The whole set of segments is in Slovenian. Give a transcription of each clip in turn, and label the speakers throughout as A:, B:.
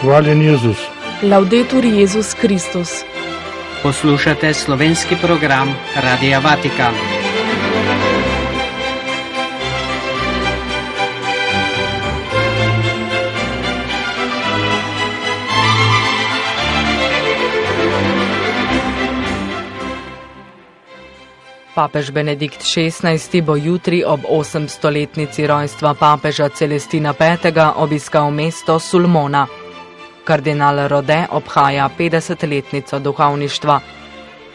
A: Hvaljen Jezus.
B: Laudetur Jezus Kristus.
C: Poslušate slovenski program Radia Vatikan.
B: Papež Benedikt XVI bo jutri ob 800-letnici rojstva papeža Celestina V. obiskal mesto Sulmona. Kardinal Rode obhaja 50-letnico duhovništva.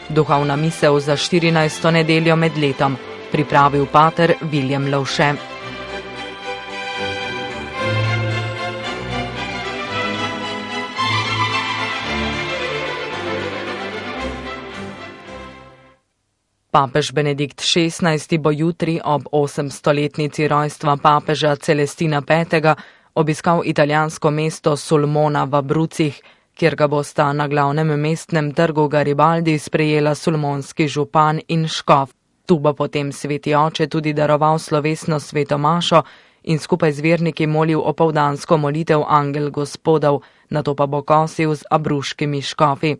B: Duhovna misel za 14. nedeljo med letom, pripravil pater Viljem Lovše. Papež Benedikt XVI bo jutri ob 800-letnici rojstva papeža Celestina V. obiskal italijansko mesto Sulmona v Abruzzih, kjer ga bosta na glavnem mestnem trgu Garibaldi sprejela sulmonski župan in škof. Tu bo potem sveti oče tudi daroval slovesno sveto mašo in skupaj z verniki molil opoldansko molitev Angel Gospodov, nato pa bo kosil z abruškimi škofi.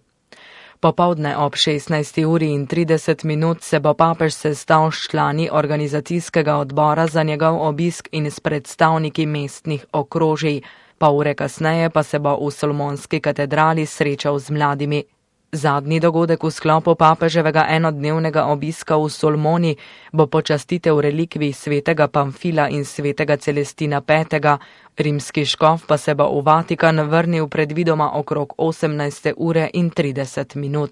B: Popoldne ob 16:30 se bo papež sestal s člani organizacijskega odbora za njegov obisk in s predstavniki mestnih okrožij. Pol ure kasneje pa se bo v Sulmonski katedrali srečal z mladimi. Zadnji dogodek v sklopu papeževega enodnevnega obiska v Sulmoni bo počastitev relikvij svetega Pamfila in svetega Celestina V. Rimski škof pa se bo v Vatikan vrnil predvidoma okrog 18:30.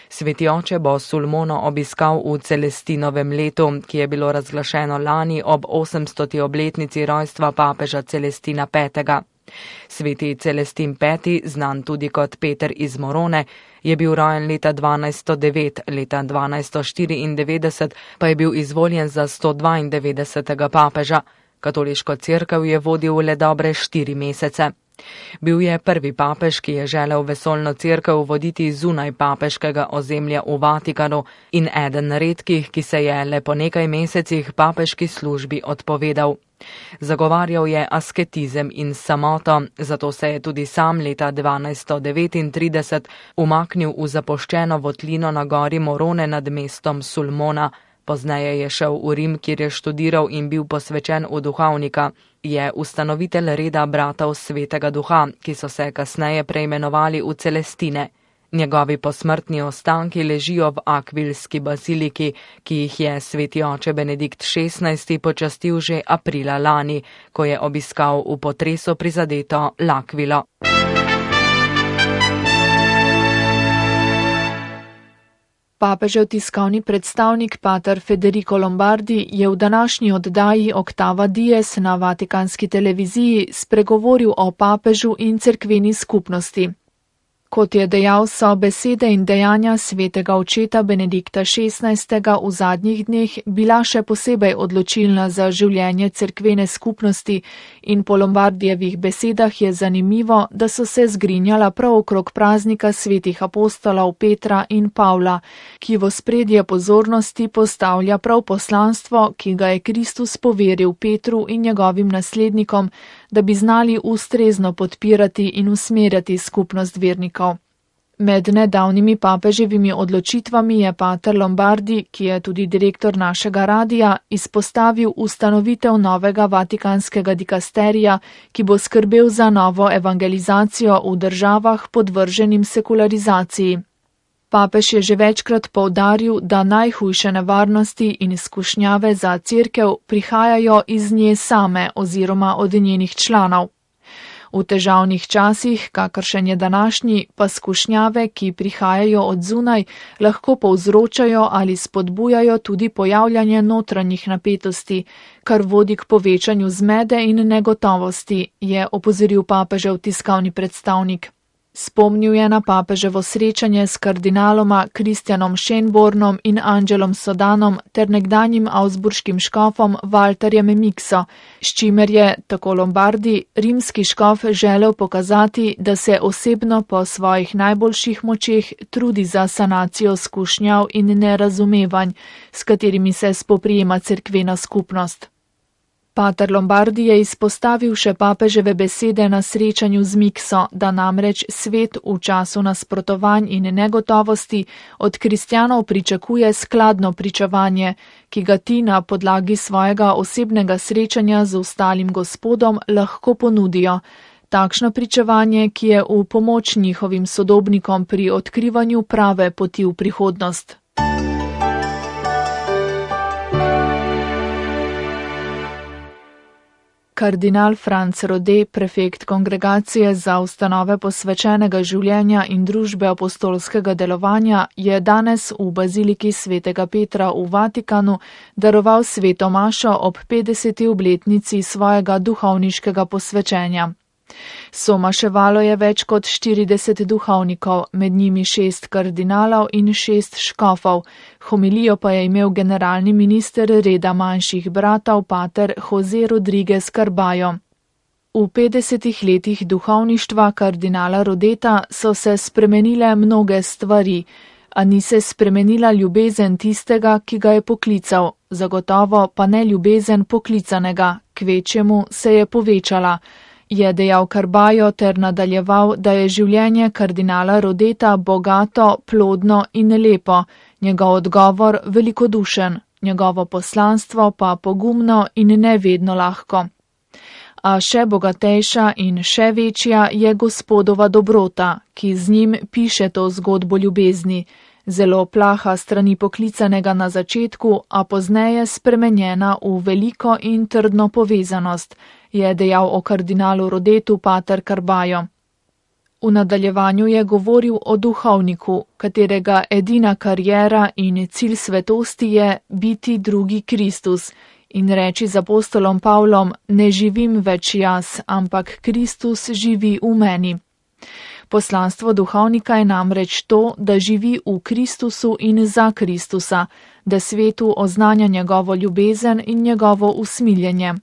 B: Sveti oče bo Sulmono obiskal v Celestinovem letu, ki je bilo razglašeno lani ob 800. obletnici rojstva papeža Celestina V. Sveti Celestin V., znan tudi kot Peter iz Morone, je bil rojen leta 1209, leta 1294 pa je bil izvoljen za 192. papeža. Katoliško cerkev je vodil le dobre 4 mesece. Bil je prvi papež, ki je želel vesoljno cerkev voditi zunaj papeškega ozemlja v Vatikanu in eden redkih, ki se je le po nekaj mesecih papeški službi odpovedal. Zagovarjal je asketizem in samoto, zato se je tudi sam leta 1239 umaknil v zapuščeno votlino na gori Morone nad mestom Sulmona. Pozneje je šel v Rim, kjer je študiral in bil posvečen v duhovnika. Je ustanovitelj reda bratov Svetega Duha, ki so se kasneje preimenovali v Celestine. Njegovi posmrtni ostanki ležijo v Akvilski baziliki, ki jih je sveti oče Benedikt XVI počastil že aprila lani, ko je obiskal v potresu prizadeto L'Aquilo.
D: Papežev tiskovni predstavnik pater Federico Lombardi je v današnji oddaji Oktava Dies na vatikanski televiziji spregovoril o papežu in cerkveni skupnosti. Kot je dejal, so besede in dejanja svetega očeta Benedikta XVI. V zadnjih dneh bila še posebej odločilna za življenje cerkvene skupnosti in po Lombardijevih besedah je zanimivo, da so se zgrinjala prav okrog praznika svetih apostolov Petra in Pavla, ki v ospredje pozornosti postavlja prav poslanstvo, ki ga je Kristus poveril Petru in njegovim naslednikom, da bi znali ustrezno podpirati in usmerjati skupnost vernikov. Med nedavnimi papeževimi odločitvami je pater Lombardi, ki je tudi direktor našega radija, izpostavil ustanovitev novega vatikanskega dikasterija, ki bo skrbel za novo evangelizacijo v državah podvrženim sekularizaciji. Papež je že večkrat poudaril, da najhujše nevarnosti in izkušnjave za cerkev prihajajo iz nje same oziroma od njenih članov. V težavnih časih, kakršen je današnji, pa skušnjave, ki prihajajo od zunaj, lahko povzročajo ali spodbujajo tudi pojavljanje notranjih napetosti, kar vodi k povečanju zmede in negotovosti, je opozoril papežev tiskovni predstavnik. Spomnil je na papeževo srečanje s kardinaloma Kristjanom Schönbornom in Angelom Sodanom ter nekdanjim avsburškim škofom Walterjem Mikso, s čimer je, tako Lombardi, rimski škof želel pokazati, da se osebno po svojih najboljših močeh trudi za sanacijo skušnjav in nerazumevanj, s katerimi se spoprijema cerkvena skupnost. Pater Lombardi je izpostavil še papeževe besede na srečanju z Mikso, da namreč svet v času nasprotovanj in negotovosti od kristjanov pričakuje skladno pričevanje, ki ga ti na podlagi svojega osebnega srečanja z ostalim Gospodom lahko ponudijo. Takšno pričevanje, ki je v pomoč njihovim sodobnikom pri odkrivanju prave poti v prihodnost. Kardinal Franc Rode, prefekt Kongregacije za ustanove posvečenega življenja in družbe apostolskega delovanja, je danes v baziliki svetega Petra v Vatikanu daroval sveto mašo ob 50. obletnici svojega duhovniškega posvečenja. Somaševalo je več kot 40 duhovnikov, med njimi 6 kardinalov in 6 škofov. Homilijo pa je imel generalni minister reda manjših bratov pater Jose Rodriguez Carballo. V 50 letih duhovništva kardinala Rodeta so se spremenile mnoge stvari, a ni se spremenila ljubezen tistega, ki ga je poklical, zagotovo pa ne ljubezen poklicanega, kvečjemu se je povečala. Je dejal Carballo ter nadaljeval, da je življenje kardinala Rodeta bogato, plodno in lepo, njegov odgovor velikodušen, njegovo poslanstvo pa pogumno in ne vedno lahko. A še bogatejša in še večja je Gospodova dobrota, ki z njim piše to zgodbo ljubezni, zelo plaha strani poklicanega na začetku, a pozneje spremenjena v veliko in trdno povezanost, je dejal o kardinalu Rodetu pater Carballo. V nadaljevanju je govoril o duhovniku, katerega edina kariera in cilj svetosti je biti drugi Kristus in reči z apostolom Pavlom: ne živim več jaz, ampak Kristus živi v meni. Poslanstvo duhovnika je namreč to, da živi v Kristusu in za Kristusa, da svetu oznanja njegovo ljubezen in njegovo usmiljenje.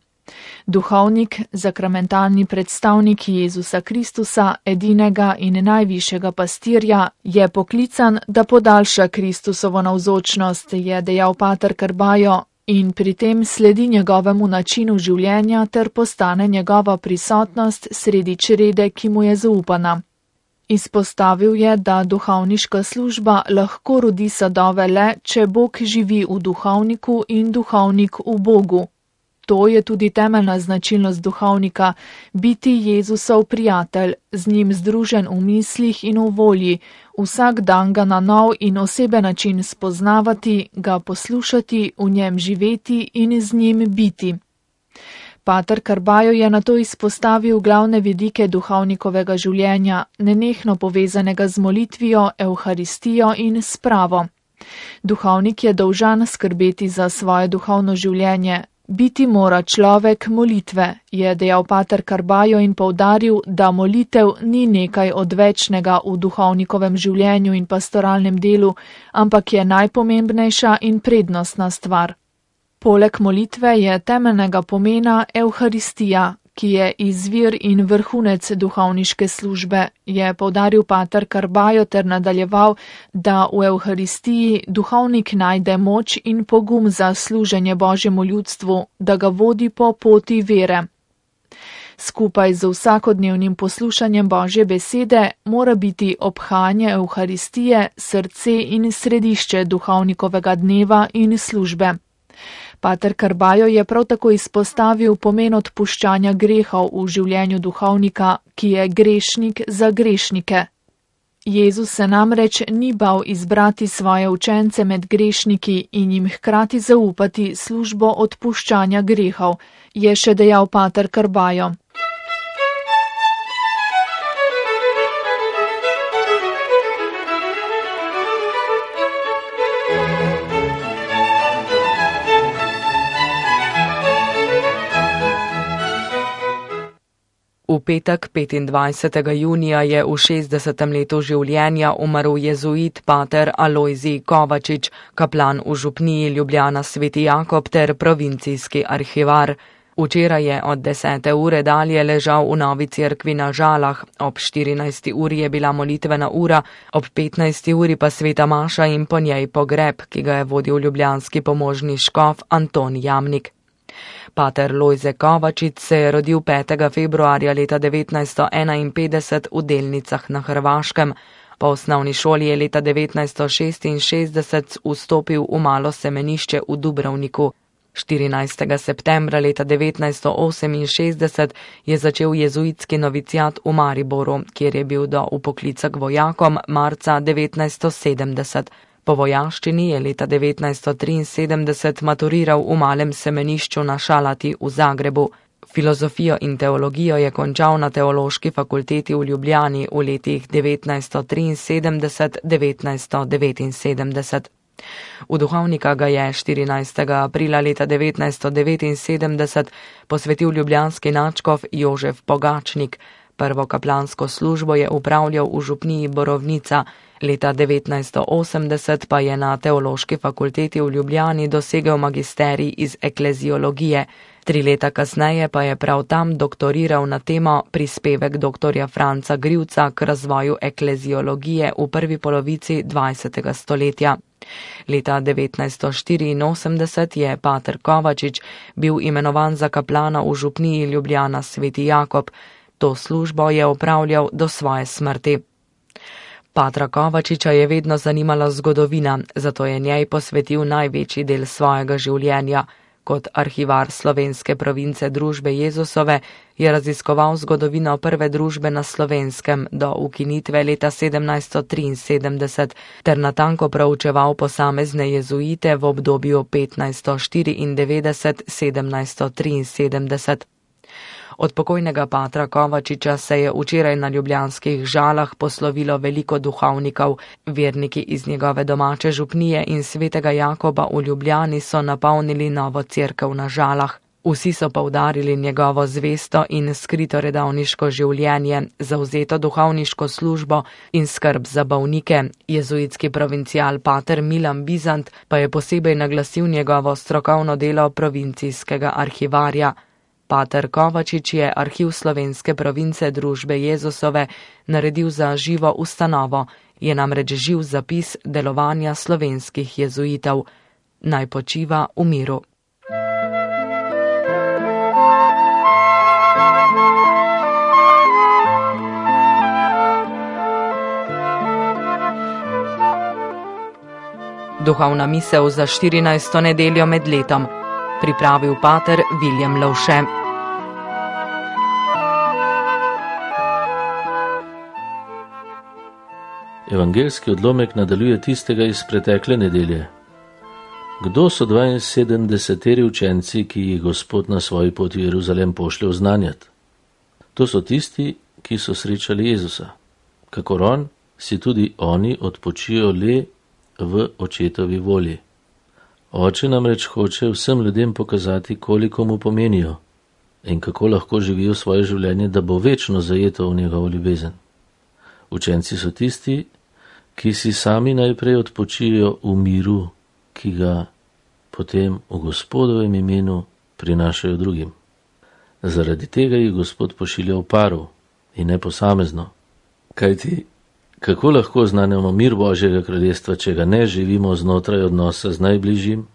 D: Duhovnik, sakramentalni predstavnik Jezusa Kristusa, edinega in najvišjega pastirja, je poklican, da podaljša Kristusovo navzočnost, je dejal pater Carballo, in pri tem sledi njegovemu načinu življenja ter postane njegova prisotnost sredi črede, ki mu je zaupana. Izpostavil je, da duhovniška služba lahko rodi sadove le, če Bog živi v duhovniku in duhovnik v Bogu. To je tudi temeljna značilnost duhovnika, biti Jezusov prijatelj, z njim združen v mislih in v volji, vsak dan ga na nov in oseben način spoznavati, ga poslušati, v njem živeti in z njim biti. Pater Carballo je nato izpostavil glavne vidike duhovnikovega življenja, nenehno povezanega z molitvijo, evharistijo in spravo. Duhovnik je dolžan skrbeti za svoje duhovno življenje. Biti mora človek molitve, je dejal pater Carballo in poudaril, da molitev ni nekaj odvečnega v duhovnikovem življenju in pastoralnem delu, ampak je najpomembnejša in prednostna stvar. Poleg molitve je temeljnega pomena evharistija, ki je izvir in vrhunec duhovniške službe, je poudaril pater Carballo ter nadaljeval, da v evharistiji duhovnik najde moč in pogum za služenje Božjemu ljudstvu, da ga vodi po poti vere. Skupaj z vsakodnevnim poslušanjem Božje besede mora biti obhajanje evharistije srce in središče duhovnikovega dneva in službe. Pater Carballo je prav tako izpostavil pomen odpuščanja grehov v življenju duhovnika, ki je grešnik za grešnike. Jezus se namreč ni bal izbrati svoje učence med grešniki in jim hkrati zaupati službo odpuščanja grehov, je še dejal pater Carballo.
B: V petek 25. junija je v 60. letu življenja umrl jezuit pater Alojzij Kovačič, kaplan v župniji Ljubljana Sveti Jakob ter provincijski arhivar. Včeraj je od 10. ure dalje ležal v Novi cerkvi na Žalah, ob 14. uri je bila molitvena ura, ob 15. uri pa sveta maša in po njej pogreb, ki ga je vodil ljubljanski pomožni škof Anton Jamnik. Pater Lojze Kovačič se je rodil 5. februarja leta 1951 v Delnicah na Hrvaškem. Po osnovni šoli je leta 1966 vstopil v malo semenišče v Dubrovniku. 14. septembra leta 1968 je začel jezuitski noviciat v Mariboru, kjer je bil do vpoklica k vojakom marca 1970. Po vojaščini je leta 1973 maturiral v malem semenišču na Šalati v Zagrebu. Filozofijo in teologijo je končal na Teološki fakulteti v Ljubljani v letih 1973-1979. V duhovnika ga je 14. aprila leta 1979 posvetil ljubljanski nadškof Jožef Pogačnik. Prvo kaplansko službo je upravljal v župniji Borovnica, leta 1980 pa je na Teološki fakulteti v Ljubljani dosegel magisterij iz ekleziologije. 3 leta kasneje pa je prav tam doktoriral na temo Prispevek dr. Franca Grivca k razvoju ekleziologije v prvi polovici 20. stoletja. Leta 1984 je pater Kovačič bil imenovan za kaplana v župniji Ljubljana Sveti Jakob. To službo je opravljal do svoje smrti. Patra Kovačiča je vedno zanimala zgodovina, zato je njej posvetil največji del svojega življenja. Kot arhivar slovenske province Družbe Jezusove je raziskoval zgodovino prve družbe na Slovenskem do ukinitve leta 1773 ter natanko proučeval posamezne jezuite v obdobju 1594-1773. Od pokojnega patra Kovačiča se je včeraj na ljubljanskih Žalah poslovilo veliko duhovnikov. Verniki iz njegove domače župnije in Svetega Jakoba v Ljubljani so napolnili novo cerkev na Žalah. Vsi so poudarili njegovo zvesto in skrito redovniško življenje, zavzeto duhovniško službo in skrb za bolnike. Jezuitski provincial pater Milan Bizant pa je posebej naglasil njegovo strokovno delo provincijskega arhivarja. Pater Kovačič je arhiv slovenske province Družbe Jezusove naredil za živo ustanovo, je namreč živ zapis delovanja slovenskih jezuitov. Naj počiva v miru. Duhovna misel za 14. nedeljo med letom. Pripravil pater Viljem Lovše.
A: Evangeljski odlomek nadaljuje tistega iz pretekle nedelje. Kdo so 72 učenci, ki jih Gospod na svoji poti v Jeruzalem pošlje oznanjati? To so tisti, ki so srečali Jezusa. Kakor on, si tudi oni odpočijo le v očetovi volji. Oče namreč hoče vsem ljudem pokazati, koliko mu pomenijo in kako lahko živijo svoje življenje, da bo večno zajeto v njegovo ljubezen. Učenci so tisti, ki si sami najprej odpočijo v miru, ki ga potem v Gospodovem imenu prinašajo drugim. Zaradi tega jih Gospod pošilja v paru in ne posamezno. Kajti, kako lahko oznanjamo mir Božjega kraljestva, če ga ne živimo znotraj odnosa z najbližjim?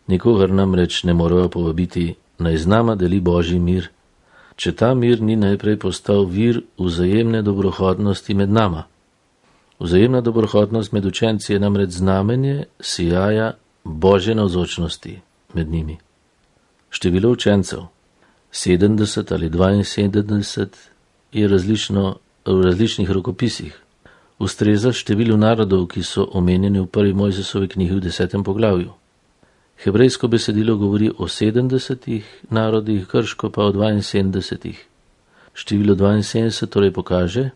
A: Nikogar namreč ne morajo povabiti, naj z nama deli Božji mir, če ta mir ni najprej postal vir vzajemne dobrohotnosti med nama. Vzajemna dobrohotnost med učenci je namreč znamenje sijaja Božje navzočnosti med njimi. Število učencev, 70 ali 72, je različno v različnih rokopisih. Ustreza številu narodov, ki so omenjeni v prvi Mojzesovi knjigi v 10. poglavju. Hebrejsko besedilo govori o 70 narodih, grško pa o 72. Število 72 torej pokaže,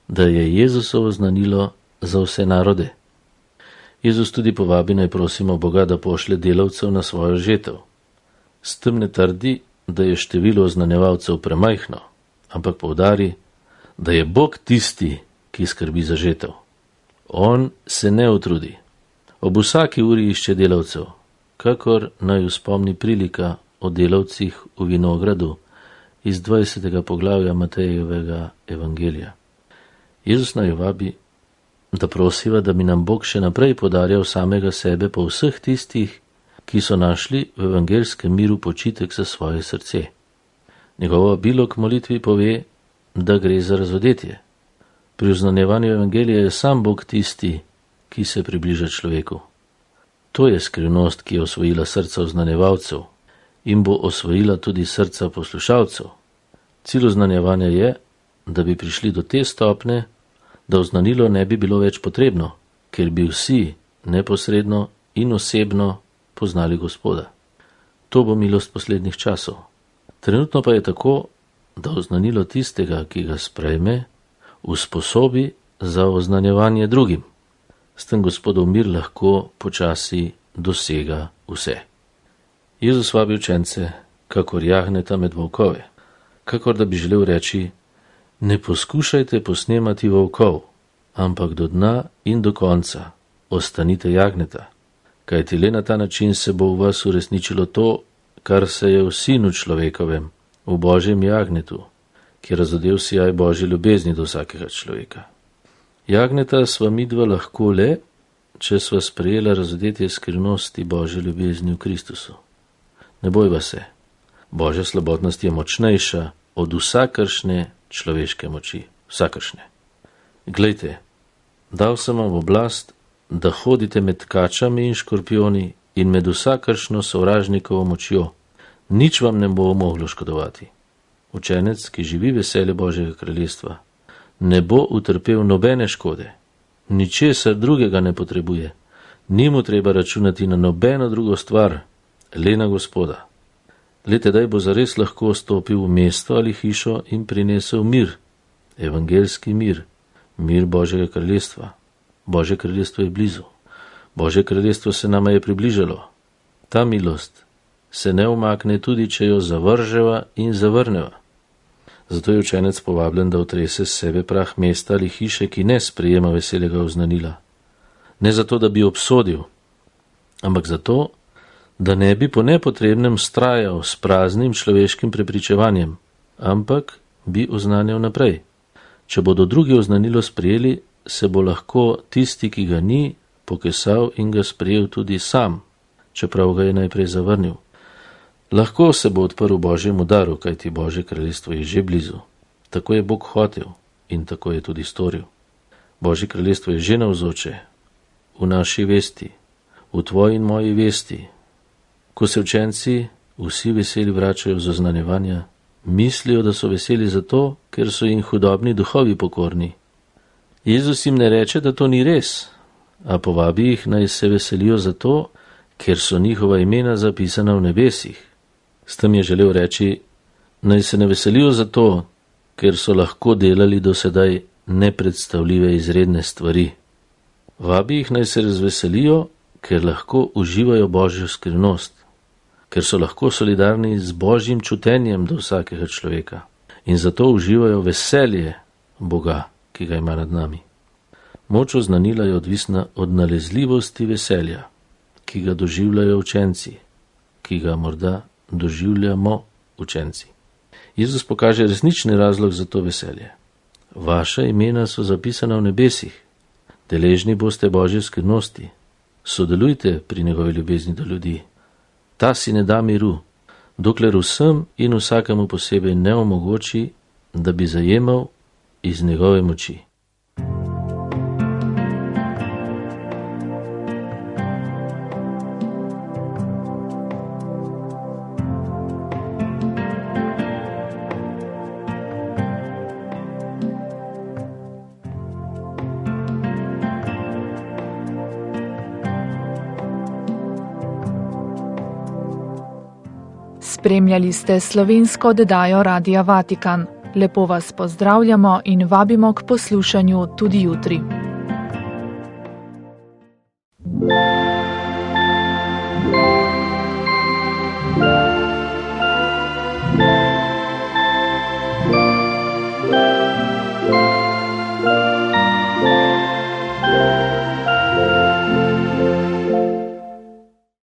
A: da je Jezusovo znanilo za vse narode. Jezus tudi povabi, naj prosimo Boga, da pošlje delavcev na svojo žetev. S tem ne trdi, da je število oznanjevalcev premajhno, ampak poudari, da je Bog tisti, ki skrbi za žetev. On se ne utrudi. Ob vsaki uri išče delavcev, kakor naj spomni prilika o delavcih v vinogradu iz 20. poglavja Matejevega evangelija. Jezus naj vabi, da prosiva, da bi nam Bog še naprej podarjal samega sebe po vseh tistih, ki so našli v evangelskem miru počitek za svoje srce. Njegovo vabilo k molitvi pove, da gre za razodetje. Pri oznanjevanju evangelija je sam Bog tisti, ki se približa človeku. To je skrivnost, ki je osvojila srca oznanjevalcev in bo osvojila tudi srca poslušalcev. Cilj oznanjevanja je, da bi prišli do te stopne, da oznanilo ne bi bilo več potrebno, ker bi vsi neposredno in osebno poznali Gospoda. To bo milost poslednjih časov. Trenutno pa je tako, da oznanilo tistega, ki ga sprejme, usposobi za oznanjevanje drugim. S tem Gospodov mir lahko počasi dosega vse. Jezus vabi učence, kakor jagneta med volkove, kakor da bi želel reči, ne poskušajte posnemati volkov, ampak do dna in do konca ostanite jagneta, kajti le na ta način se bo v vas uresničilo to, kar se je v Sinu človekovem, v Božjem jagnetu, ki je razodel sijaj Božje ljubezni do vsakega človeka. Jagneta sva midva lahko le, če sva sprejela razodetje skrivnosti Božje ljubezni v Kristusu. Ne bojva se, Božja slabotnost je močnejša od vsakršne človeške moči, vsakršne. Glejte, dal sem vam oblast, da hodite med kačami in škorpioni in med vsakršno sovražnikovo močjo. Nič vam ne bo moglo škodovati. Učenec, ki živi veselje Božjega kraljestva, ne bo utrpel nobene škode, ničesar drugega ne potrebuje, ni mu treba računati na nobeno drugo stvar, le na Gospoda. Le tedaj bo zares lahko stopil v mesto ali hišo in prinesel mir, evangelski mir, mir Božjega kraljestva. Božje kraljestvo je blizu. Božje kraljestvo se nama je približalo. Ta milost se ne umakne tudi, če jo zavrževa in zavrneva. Zato je učenec povabljen, da otrese s sebe prah mesta ali hiše, ki ne sprejema veselega oznanila. Ne zato, da bi obsodil, ampak zato, da ne bi po nepotrebnem strajal s praznim človeškim prepričevanjem, ampak bi oznanjal naprej. Če bodo drugi oznanilo sprejeli, se bo lahko tisti, ki ga ni, pokesal in ga sprejel tudi sam, čeprav ga je najprej zavrnil. Lahko se bo odprl Božjemu daru, kajti Božje kraljestvo je že blizu. Tako je Bog hotel in tako je tudi storil. Božje kraljestvo je že navzoče, v naši vesti, v tvoji in moji vesti. Ko se učenci vsi veseli vračajo z oznanjevanja, mislijo, da so veseli zato, ker so jim hudobni duhovi pokorni. Jezus jim ne reče, da to ni res, a povabi jih, naj se veselijo zato, ker so njihova imena zapisana v nebesih. S tem je želel reči, naj se ne veselijo zato, ker so lahko delali do sedaj nepredstavljive izredne stvari. Vabi jih, naj se razveselijo, ker lahko uživajo Božjo skrivnost, ker so lahko solidarni z Božjim čutenjem do vsakega človeka in zato uživajo veselje Boga, ki ga ima nad nami. Moč oznanila je odvisna od nalezljivosti veselja, ki ga doživljajo učenci, ki ga morda doživljamo učenci. Jezus pokaže resnični razlog za to veselje. Vaša imena so zapisana v nebesih, deležni boste Božje skrivnosti, sodelujte pri njegovi ljubezni do ljudi. Ta si ne da miru, dokler vsem in vsakemu posebej ne omogoči, da bi zajemal iz njegove moči.
D: Spremljali ste slovensko oddajo Radia Vatikan. Lepo vas pozdravljamo in vabimo k poslušanju tudi jutri.